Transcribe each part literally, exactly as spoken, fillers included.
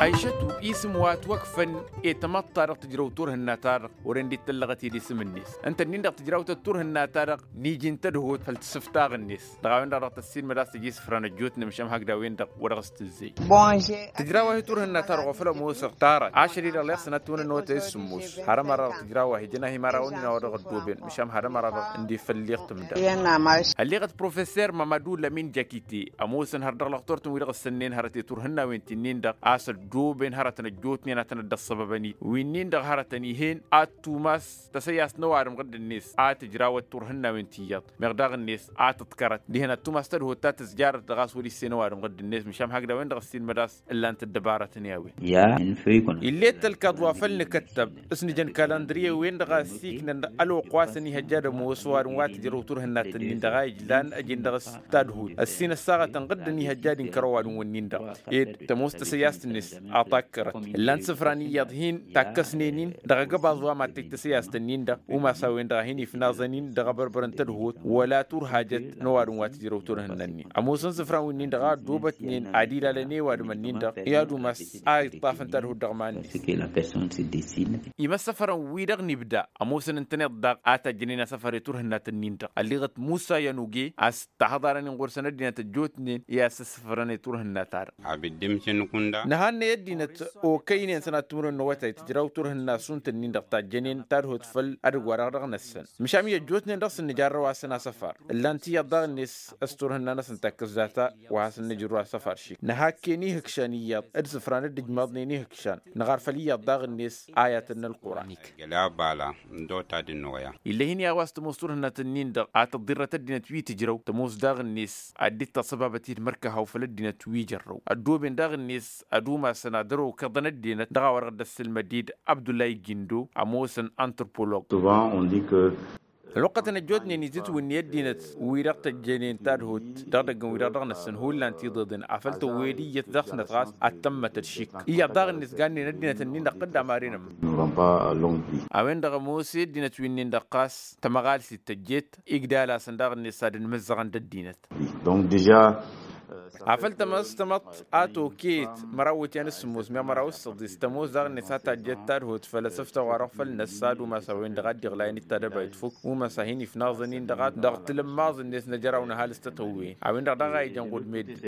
Ăyšăt-u isǝm wa ătwăkfăn i-tamăḍt-ta-dăɣ tǝjrăw turhǝnna-ta-dăɣ wăren dd-tăllăɣăt i-disǝm-net ǝnta-dăɣ tǝjraw-tăt turhǝnna-ta-dăɣ n-iji n-tadhut făll-tisǝftaɣ-net. Dăɣ-a-wen-dăɣ dăɣ-tăssiilmăd a-s tăj isǝfra n-ăjjootnen măšan hakd a-wen-dăɣ wăr-dăɣ s-tǝzzey. Tǝjraw-ahi turhǝnna-ta-dăɣ wa făl ămoosăɣ tarăt ašăl-i-dăɣ leɣ sănat timǝrǝnnăwăt a isǝmmos. Har ămăra dăɣ-tǝjraw-ahi jăn-ahi imărawăn-in a-wa dăɣ-ăddooben măšan har ămăra dăɣ-ǝndefălleɣ tǝmda. Ălleɣăt professer mamadu lămin jakite ămoosăn har dăɣ-lăxtor-tăn wi-dăɣ ǝssănnen hărăt i-turhǝnnawen ti-nin-dăɣ a-s ăddooben hărătăn ăjjootnen a tăn-dd-ăṣṣăbăbăn-dd wi-nin-dăɣ hărătăn ih'-en ad-tumas tăsăyast n-ăwadǝm ɣǝdd-net a tǝjrawăt turhǝnnawen ti iyyăḍ meɣ daɣ-net a tǝḍkărăt dihen ad-tumas tadhut ta tǝzjarăt dăɣ-a-s wăr-issena ăwadǝm ɣǝdd-net măšan hakd a-wen-dăɣ ăssiilmăd a-s ǝllan-t ăddăbarătăn i-a-wen. Ill'-e d-tălkaḍ wa făl nǝkăttăb s-nǝjăn kalandriye-wen-dăɣ a ăssiiknăn ălwăqq wa s-ănihăjja ad-ămoos ăwadǝm wa tǝjrăw turhǝnna-tăn-in-dăɣ a ijlan ăjin dăɣ-s tadhut ăssin ăssaɣătăn ɣǝdd ănihăjja ad-inkăr ăwadǝm-wǝnnin-dăɣ ed tămoos tăsăyast-net a takkărăt ǝllan-t isǝfran iyyăḍ hin-takkăsnen-in dăɣ-agăbaẓ wa mad-tăj tăsăyast-nin-dăɣ umas a-wen-dăɣ a hin-ifnaẓăn-in dăɣ-abărbăr n-tadhut wăla turhajăt n-ăwadǝm wa tǝjrăw turhǝnna-nin ămoosăn isǝfran wi-nin-dăɣ a ăddoobătnen ad-ilalăn i-ăwadǝm-nin-dăɣ i-ad-umas a iṭṭafăn tadhut dăɣ-iman-net. Imăssăfărăn-wi-dăɣ n-ibda ămoosăn ǝntăneḍ daɣ a tajjănen asăfăr i-turhǝnnat-nin-dăɣ ălleɣăt musa i-anuge a-s tahăḍarăn-in ɣur-săn ăddinăt ăjjootnen i-ad-săssăfărăn i-turhǝnnat-ta-dăɣ. Nǝhannăy ăddinăt okăynen sănat timǝrwen n-awătay tǝjraw turhǝnna šund-tăn-in-dăɣ tajjănen tadhut făll-edăgg-wa-dăɣ dăɣ-năssăn măšan i-ăjjootnen dăɣ-s ǝnnǝjarrăw a-s săn asăfar ǝllan-t iyyăḍ daɣ-net s-turhǝnna-năsăn takkăs data wa has-ǝnnǝjrǝw asăfar šik nǝhakken ihǝkšan iyyăḍ d-isǝfran d-ǝjmaḍnen ihǝkšan nǝɣar făll-iyyăḍ daɣ-net ayatăn n-ălquran. Ill'-e hin-i a-wa s-tămoos turhǝnna-tăn-in-dăɣ a tăḍḍirrăt ăddinăt wi tǝjrăw tămoos daɣ-net ad-dd-taṣăbabăt-dd mărkăhaw făll-ăddinăt wi jărrăw ăddooben daɣ-net ad-umasăn ad-ărokăḍăn ăddinăt dăɣ-a-wa dăɣ-dd-ăssǝlmăd-dd abdullahi gindo ămoosăn antărpolog. Ălwăqqătăn ăjjootnen izǝtwǝnni ăddinăt wi-dăɣ tăjjănen tadhut dăɣ-idăggăn wi-dăɣ dăɣ-năssăn hullan tiḍeḍen afăl tăwwed iyyăt dăɣ-snăt ɣas ad-tămmătăd šik iyyăḍ daɣ-net gannen ăddinăt-nin-dăɣ qǝddam arănăm. A-wen-dăɣ ămoos i-ăddinăt wi-nin-dăɣ ɣas tămăɣalsit tăjjet igdal-asăn daɣ-net ad-ănmǝzzăɣăn d-ăddinăt. Afăl tămăs tamăḍt a tokeyăt măraw iwǝtyan s-sǝmmos meɣ măraw s-săḍis tămoos daɣ-net a tajjăt tadhut făll-asǝfta wa-dăɣ făll-năssa d-umas a-wen-dăɣ a dd-iɣlayăn d-tadăbayt făw umas a hin-ifnaẓăn-in-dăɣ dăɣ-tilǝmmaẓ-net n-ajăraw n-ăhalǝs tătăwwen a-wen-dăɣ daɣ a ijăn ɣud meddǝn.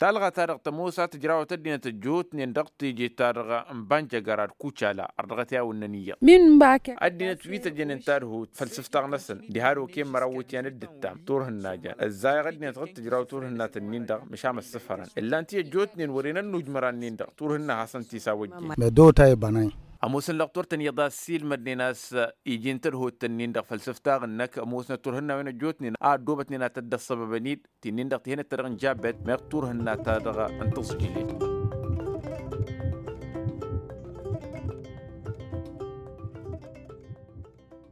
Talɣa-ta-dăɣ tămoos a tǝjrawăt ăddinăt ăjjootnen dăɣ-teje-ta-dăɣ n-banjăgar ad-kucala ărdăɣăt i-awǝnnăn iyyăḍ. Ăddinăt wi tăjjănen tadhut făll-sǝftaɣ-năsăn diha d-okăyăn măraw iwǝtyan d-ǝttam turhǝnna jan ǝzzayăɣ ăddinăt ɣǝd tǝjraw turhǝnnat-nin-dăɣ măšan ăssăfărăn ǝllan-t i-ăjjootnen wăren ănnuj măra-nin-dăɣ turhǝnna hasăn-t-isawăjjen. Ămoosăn lăqtor-tăn iyyăḍ a ăssiilmădnen a-s iji n-tadhut-tăn-in-dăɣ făll-sǝftaɣ-năk ămoosnăt turhǝnnawen ăjjootnen a ăddoobătnen ad-tădd-ăṣṣăbăbăn-dd ti-nin-dăɣ tihănăt-ta-dăɣ n-jabbet meɣ turhǝnna-ta-dăɣ n-tǝẓjǝlen.